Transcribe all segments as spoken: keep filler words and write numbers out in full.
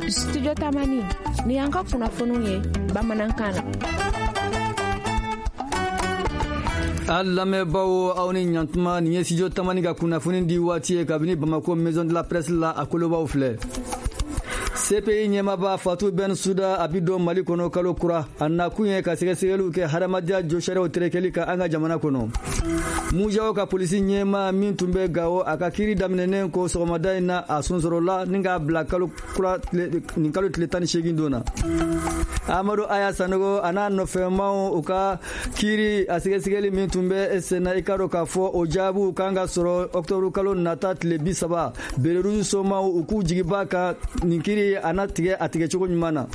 Studio Tamani, ni y'an ka kunnafoniw ye bamanankan na. An lamɛnbaaw, aw ni ɲantuma. Nin ye Studio Tamani ka kunnafoni di waati ye kabini Bamako Maison de la Presse la. A kolobaw filɛ: C P I ɲɛmaba Fatou Bensouda a bi don Mali kɔnɔ kalo kura. A nakun ye ka sɛgɛsɛgɛliw kɛ hadamadenya josariyaw terekeli kan an ka jamana kɔnɔ. MUJAO ka polisi ɲɛma min tun bɛ Gawo, a ka kiiri daminɛnen ko sɔgɔmada in na, a sonsorola ni k'a bila kalo kura nin kalo tile tan ni seegin don na. Amadu Aya Sanogo a n'a nɔfɛmaw, u ka kiiri a sɛgɛsɛgɛli min tun bɛ senna, i ka dɔn k'a fɔ o jaabiw kan ka sɔrɔ ɔkutɔburu kalo nata tile bi saba. Béret somaw, u k'u jigiba kan nin kiiri a na tigɛ a tigɛcogo ɲuman na.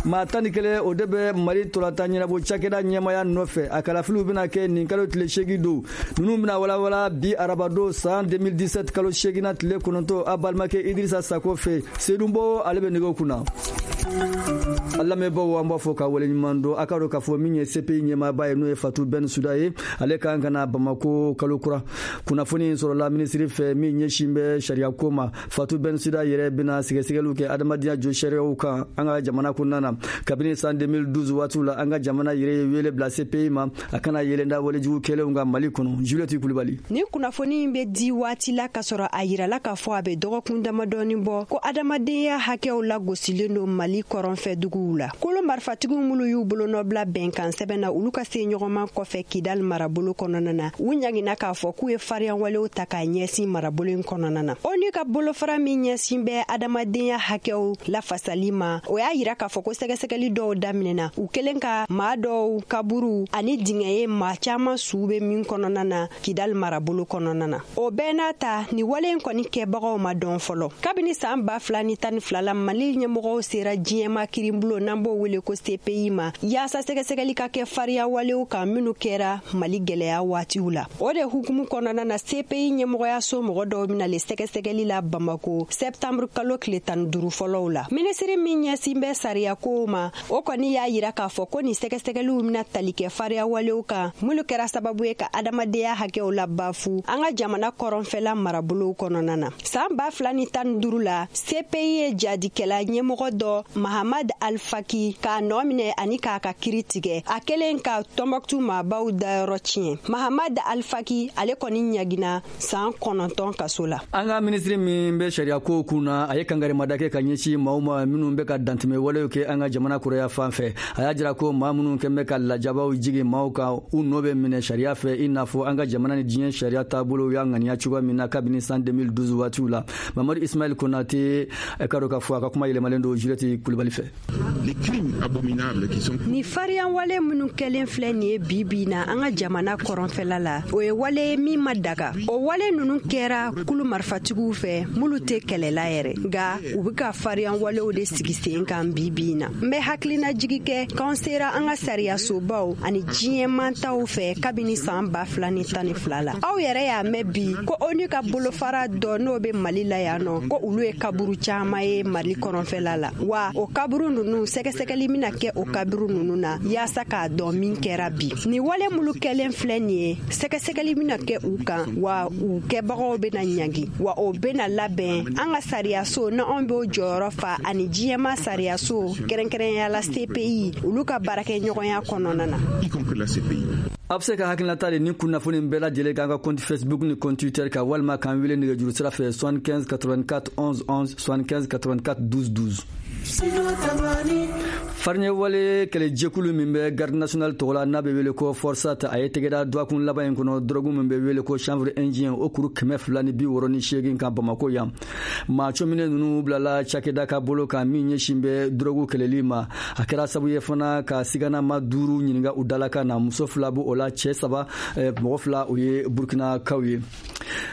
Maa tan ni kelen, o de bɛ Mali tolatan ɲɛnabɔ cakɛda ɲɛmaya nɔfɛ. A kalafiliw bɛna kɛ nin kalo tile seegin don. Ninnu bɛna walawala bi arabado san deux mille dix-sept kalo seeginna tile kɔnɔntɔn, a balimakɛ Idirisa Sako fɛ. Sedunbo, ale bɛ nɛgɛw kunna. An lamɛnbaaw, an b'a fɔ ka waleɲuman dɔn. A ka dɔn k'a fɔ min ye C P I ɲɛmaaba ye, n'o ye Fatou Bensouda ye, ale kan ka na Bamako kalo kura. Kunnafoni sɔrɔla minisiri fɛ min ɲɛsin bɛ sariyako ma. Fatou Bensouda yɛrɛ bɛna sɛgɛsɛgɛliw kɛ adamadenya josariyaw kan an ka jamana kɔnɔna na. Kabini san deux mille douze waatiw la, an ka jamana yɛrɛ ye wele bila C P I ma, a kana yɛlɛnda walejugu kɛlenw kan Mali kɔnɔ. Juliette Kulibali. Ni kunnafoni in bɛ di waati la k'a sɔrɔ a yirala k'a fɔ a bɛ dɔgɔkun damadɔɔni bɔ ko adamadenya hakɛw lagosilen don Mali kɔrɔnfɛ duguw la. Kolo marifatigiw minnu y'u bolonɔbila bɛnkan sɛbɛn na, olu ka se ɲɔgɔnman kɔfɛ Kidali marabolo kɔnɔna na, u ɲagina k'a fɔ k'u ye fariyanwalew ta k'a ɲɛsin marabolo in kɔnɔna na. ONU ka bolofara min ɲɛsin bɛ adamadenya hakɛw lafasali ma, o y'a yira k'a fɔ ko sɛgɛsɛgɛli dɔw daminɛna, u kelen ka maa dɔw kaburu ani dingɛ ye maa caaman suu be min kɔnɔna na Kidali marabolo kɔnɔna na. O bɛɛ n'a ta, ni wale in kɔni kɛbagaw ma dɔn fɔlɔ. Kabini saan ba fila ni tan ni fila la, Mali ɲɛmɔgɔw sera diɲɛma kirinbulon n'an b'o wele ko C P I ma, yaasa sɛgɛsɛgɛli ka kɛ fariya walew kan minnu kɛra Mali gwɛlɛya waatiw la. O de hukumu kɔnɔna na, C P I ɲɛmɔgɔyaso mɔgɔ dɔw bɛna le sɛgɛsɛgɛli la Bamako sɛptanburu kalo tile tan duuru fɔlɔw la. Minisiri min ɲɛsin bɛ sariyakow ma, o kɔni y'a yira k'a fɔ ko nin sɛgɛsɛgɛliw bɛna tali kɛ fariya walew kan minnu kɛra sababu ye ka adamadenya hakɛw la bafu an ka jamana kɔrɔnfɛla marabolow kɔnɔna na. Saan ba fila ni tan duuru la, C P I ye jadikɛla ɲɛmɔgɔ dɔ Mahamad Alfaki k'a nɔɔ minɛ ani k'a ka kiri tigɛ, a kelen ka Tɔnbɔkutu maabaw dayɔrɔ tiɲɛ. Mahamad Alfaki, ale kɔni ɲagina saan kɔnɔntɔn kaso la. An ka minisiri min bɛ sariya kun na, a ye kangarimada kɛ ka ɲɛsin maaw ma minnu bɛ ka dantɛmɛ walew kɛ an ka jamana kɔrɔya fan fɛ. A y'a jira ko maa minnu kɛn bɛ ka lajabaw jigin maaw kan, u nɔ bɛ minɛ sariya fɛ, i n'a fɔ an ka jamana ni diɲɛ sariya taabolo y'a ŋaniya cogoya min na kabini san deux mille douze waatiw la. Mamadu Ismail Konate, ka dɔn k'a fɔ a ka kuma yɛlɛmalen don Juliette Kulibali fɛ. Ni fariyan wale minnu kɛlen filɛ nin ye bi bi na an ka jamana kɔrɔnfɛla la, o ye wale ye min ma daga. O wale ninnu kɛra kulu marifatigiw fɛ minnu tɛ kɛlɛla yɛrɛ, nka u be ka fariyan walew de sigi sen kan bi bi na. N bɛ hakilinajigi kɛ k'an sera an ka sariyasobaw ani diɲɛmantaw fɛ kabini saan ba fila ni tan ni fila la. Aw yɛrɛ y'a mɛn bi ko ONU ka bolofara dɔ n'o be Mali la yan nɔ, ko olu ye kaburu caaman ye Mali kɔrɔnfɛla la. Wa o kaburu nunu, sɛgɛsɛgɛli bɛna kɛ o kaburu nunu na yaasa k'a dɔn min kɛra bi. Ni wale minnu kɛlen filɛ nin ye, sɛgɛsɛgɛli bɛna kɛ u kan, wa u kɛbagaw bɛna ɲangi, wa o bɛna labɛn an ka sariyaso na anw b'o jɔyɔrɔ fa ani diɲɛma sariyaso, kɛrɛnkɛrɛnya la C P I, olu ka baarakɛɲɔgɔnya kɔnɔna na. A bɛ se ka hakilinata de ni kunnafoni bɛɛ lajɛlen k'an ka compte Facebook ni compte Twitter kan, walima k'an wele nɛgɛjuru sira fɛ soixante-quinze quatre-vingt-quatre onze onze, soixante-quinze quatre-vingt-quatre douze douze. Fariɲɛwale kɛlɛjɛkulu min bɛ Garde nationale tɔgɔ la, n'a bɛ wele ko FORSAT, a ye tɛgɛda dɔgɔkun laban in kɔnɔ dɔrɔgu min bɛ wele ko chanvre indien, o kuru kɛmɛ fila ni bi wɔɔrɔ ni seegin kan Bamako yan. Maa cɔminen ninnu bilala cakɛda ka bolo kan min ɲɛsin bɛ dɔrɔgu kɛlɛli ma. A kɛra sababu ye fana ka siganama duuru ɲininka u dalakan na. Muso fila b'o la, cɛ saba, mɔgɔ fila, o ye Burkinakaw ye.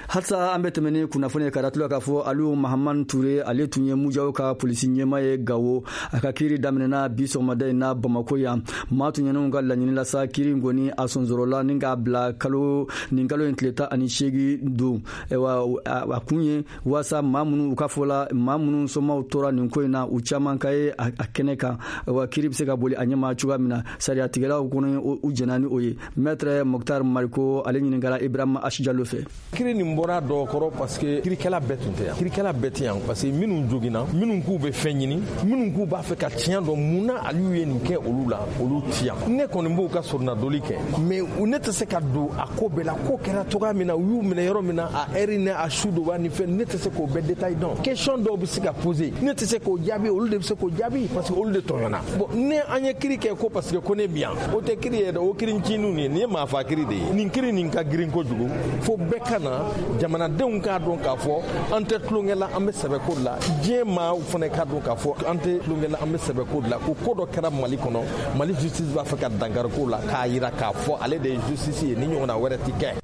Halisa an bɛ tɛmɛ ni kunnafoni ye ka datula k'a fɔ Aliyu Mahamani Ture, ale tun ye MUJAO ka polisi ɲɛma ye Gawo, a ka kiiri daminɛna. bi sɔgɔmada in na Bamako yan. Maa tɔɲɔnenw ka laɲini la sa, kiiri in kɔni a sonsorola ni k'a bila kalo nin kalo in tile tan ani seegin don. Wa a kun ye waasa maa minnu u ka fɔ la, maa minnu somaw tora nin ko in na, u caman ka ye a kɛnɛ kan, wa kiiri bɛ se ka boli a ɲɛma cogoya min na. Sariyatigɛlaw kɔni u jɛnna ni o ye. Maître Mokhtar Mariko, ale ɲininkara Ibrahima Asijalo fɛ. Kiiri nin bɔra dɔw kɔrɔ parce que kirikɛla bɛɛ tun tɛ yan, kirikɛla bɛɛ tɛ yan parce que minnu joginna, minnu k'u bɛ fɛn ɲini, minnu k'u b'a fɛ ka tiɲɛ dɔn mun na Aliyu ye nin kɛ olu la, olu ti yan. Ne kɔni b'u ka soronadoli kɛ, mais ne tɛ se ka don a ko bɛɛ la. Ko kɛra cogoya min na, u y'u minɛ yɔrɔ min na, a ɛri ni a su dɔ ni fɛn, ne tɛ se k'o bɛɛ détail dɔn. Question dɔw bɛ se ka poser, ne tɛ se k'o jaabi, olu de bɛ se k'o jaabi parce que olu de tɔɲɔna. Bon, ne an ye kiiri kɛ ko parce que ko ne bi yan, o tɛ kiiri ye dɛ, o kiiri ncininw ye, nin ye maafa kiiri de ye. Nin kiiri nin ka girin kojugu fo bɛɛ ka na, jamanadenw k'a dɔn k'a fɔ an tɛ tulonkɛ la, an bɛ sɛbɛ ko de la. Diɲɛ maaw fana k'a dɔn k'a fɔ an tɛ tulonkɛ la, an bɛ sɛbɛ ko de la. Ko ko dɔ kɛra Mali kɔnɔ, Mali justice b'a fɛ ka dankari ko la k'a yira k'a fɔ ale de ye justice ye, ni ɲɔgɔnna wɛrɛ ti kɛ.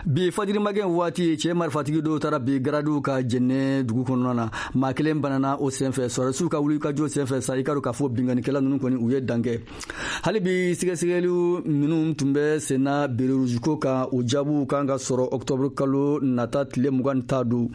Bi fajirimagɛn waati, cɛ marifatigi dɔw taara bi garadiw ka Jɛnɛ dugu kɔnɔna na. Maa kelen banana o senfɛ. Sɔrɔdasiw ka wulikajɔ senfɛ sa, i ka dɔn k'a fɔ binkannikɛla ninnu kɔni u ye dankɛ. Hali bi sɛgɛsɛgɛliw minnu tun bɛ senna béret rouge ko kan, o jaabiw kan ka sɔrɔ octobre kalo nata tile mugan ni tan don.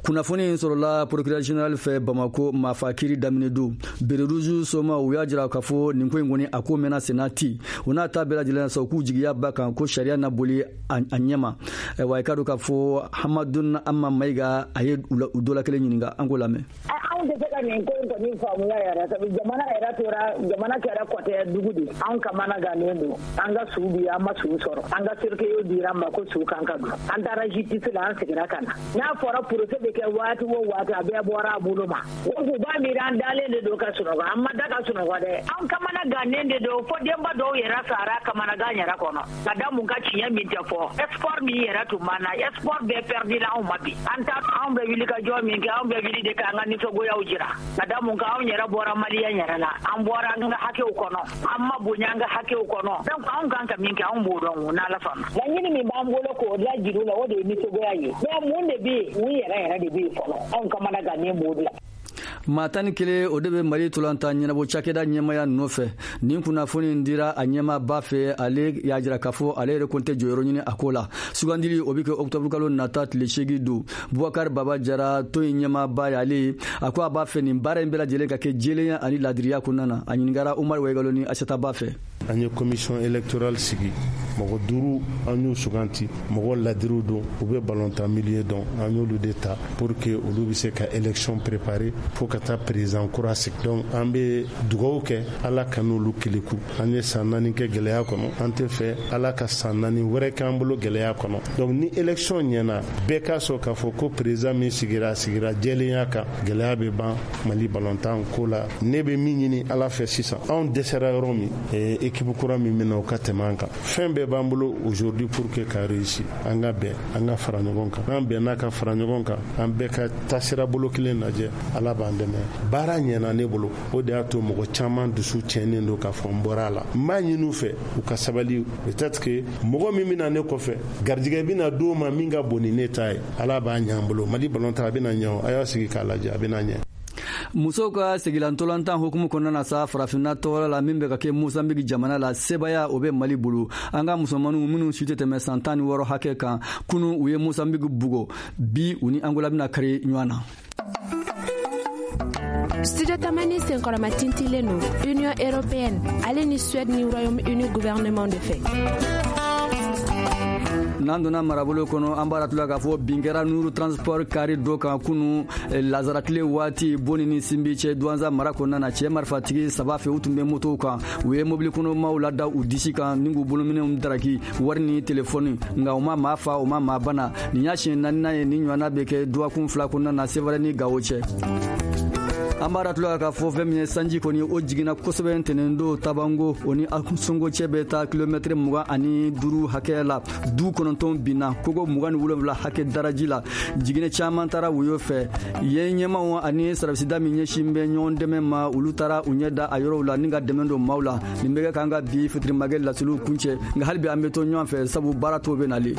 Kunnafoni in sɔrɔla procureur général fɛ Bamako maafa kiiri daminɛ don. Béret rouge somaw u y'a jira k'a fɔ nin ko in kɔni a ko mɛnna senna ti. O n'a ta bɛɛ lajɛlen sa, u k'u jigiya ba kan ko sariya na boli a ɲɛma. Wa i ka dɔn k'a fɔ Hamadun Amma Mayiga, a ye u dɔ la kelen ɲininka, an k'o lamɛn. Anw tɛ se ka nin ko in kɔni faamuya yɛrɛ, sabu jamana yɛrɛ tora, jamana kɛra kɔtɛ dugu de. Anw kamana gannen don, an ka su bi an ma su sɔrɔ, an ka cercueil dira an ma ko su kan ka don. An taara justice la, an seginna ka na. N'a fɔra procès bɛ kɛ waati o waati, a bɛɛ bɔra a bolo ma. O kun b'a miiri an dalen de don ka sunɔgɔ, an ma da ka sunɔgɔ dɛ. An kamana gannen de don, fo denba dɔw yɛrɛ sara kamanagan yɛrɛ kɔnɔ. Ka da mun ka tiɲɛ min tɛ fɔ, espoir min yɛrɛ tun b'an na, espoir bɛɛ perdu la anw ma bi. An ta anw bɛ wuli ka jɔ min kɛ, anw bɛ wuli de k'an ka nisɔngoyaw jira. Ka da mun kan, anw yɛrɛ bɔra maliyɛn yɛrɛ la, an bɔra an ka hakɛw kɔnɔ, an ma bonya an ka hakɛw kɔnɔ. Donc anw kan ka min kɛ, anw b'o dɔn o n'Ala sɔnna. Laɲini min b'an bolo k'o lajira u la, o de ye nisɔngoya ye. Mais mun de bɛ yen, mun yɛrɛ yɛrɛ de bɛ yen fɔlɔ, anw kamana gannen b'o de la. Maa tan ni kelen o de bɛ Mali tolantan ɲɛnabɔ cakɛda ɲɛmaya nɔfɛ. Nin kunnafoni in dira a ɲɛmaaba fɛ, ale y'a jira k'a fɔ ale yɛrɛ kɔni tɛ jɔyɔrɔ ɲini a ko la. Sugandili o bɛ kɛ octobre kalo nata tile seegin don. Bubakari Baba Jara, tɔn in ɲɛmaaba y'ale ye, a ko a b'a fɛ nin baara in bɛɛ lajɛlen ka kɛ jɛlenya ani laadiriya kɔnɔna na. A ɲininkara Umaru Wayigalo ni Asata Ba fɛ. An ye commission électorale sigi, mɔgɔ duuru an y'u suganti, mɔgɔ ladiriw don, u bɛ balontan milieu dɔn, an y'olu de ta pour que olu bɛ se ka élection préparer fo ka taa président kura sigi. Donc an bɛ dugawu kɛ Ala ka n'olu keleku. An ye san naani kɛ gɛlɛya kɔnɔ, an tɛ fɛ Ala ka san naani wɛrɛ k'an bolo gɛlɛya kɔnɔ. Donc ni élection ɲɛna, bɛɛ k'a sɔn k'a fɔ ko président min sigira, a sigira jɛlenya kan, gɛlɛya bɛ ban Mali balontan ko la. Ne bɛ min ɲini Ala fɛ sisan, anw dɛsɛra yɔrɔ min, équipe kura min bɛna o ka tɛmɛ an kan. Fɛn bɛɛ b'an bolo aujourd'hui pour que ka réussir. An ka bɛn, an ka fara ɲɔgɔn kan. N'an bɛnna ka fara ɲɔgɔn kan, an bɛɛ ka taasira bolo kelen lajɛ, Ala b'an dɛmɛ. Baara ɲɛna ne bolo, o de y'a to mɔgɔ caman dusu tiɲɛnen don k'a fɔ n bɔra a la. N b'a ɲini u fɛ u ka sabali, peut-être que mɔgɔ min bɛna ne kɔfɛ, garijɛgɛ bɛna d'o ma min ka bon ni ne ta ye. Ala b'a ɲɛ an bolo. Mali balontan a bɛna ɲɛ o, a y'a sigi k'a lajɛ, a bɛna ɲɛ. Musow ka segilantolantan hukumu kɔnɔna na sa, farafinna tɔgɔ la min bɛ ka kɛ Mozambique jamana la, sebaya o bɛ Mali bolo. An ka musomaninw minnu si tɛ tɛmɛ san tan ni wɔɔrɔ hakɛ kan, kunun u ye Mozambique bugɔ, bi u ni Angola bɛna kari ɲɔgɔn na. Studio Tamani senkɔrɔma tintilen don Union européenne ale ni Suède ni Royaume-Uni gouvernement de fɛ. N'an donna marabolo kɔnɔ, an b'a ratula k'a fɔ bin kɛra Nuru Transport kari dɔ kan kunu lazarakile waati Boni ni Sinbi cɛ Duwanza mara kɔnɔna na. Cɛ marifatigi saba fɛ, u tun bɛ motow kan, u ye mobili kɔnɔmaw lada u disi kan ni k'u bolominɛnw daraki, wari ni telefɔni, nka u ma maa fa, u ma maa bana. Nin y'a siɲɛ naaninan ye nin ɲɔgɔnna bɛ kɛ dɔgɔkun fila kɔnɔna na Sevare ni Gawo cɛ. An b'a ratula k'a fɔ fɛn min ye sanji kɔni o jiginna kosɛbɛ ntɛnɛn don Tabango, o ni Ansongo cɛ bɛ taa kilomɛtɛrɛ mugan ani duuru hakɛ la. Du kɔnɔntɔn binna, kogo mugan ni wolonwula hakɛ daraji la. Jiginɛ caman taara woyo fɛ. Yen ɲɛmaw ani sarabisida min ɲɛsin bɛ ɲɔgɔn dɛmɛ ma, olu taara u ɲɛ da a yɔrɔw la ni ka dɛmɛ don maaw la. Nin bɛ kɛ k'an ka bi fitirimakɛ laseliw kuncɛ, nka hali bi an bɛ to ɲɔgɔn fɛ sabu baara tɔw bɛ nalen.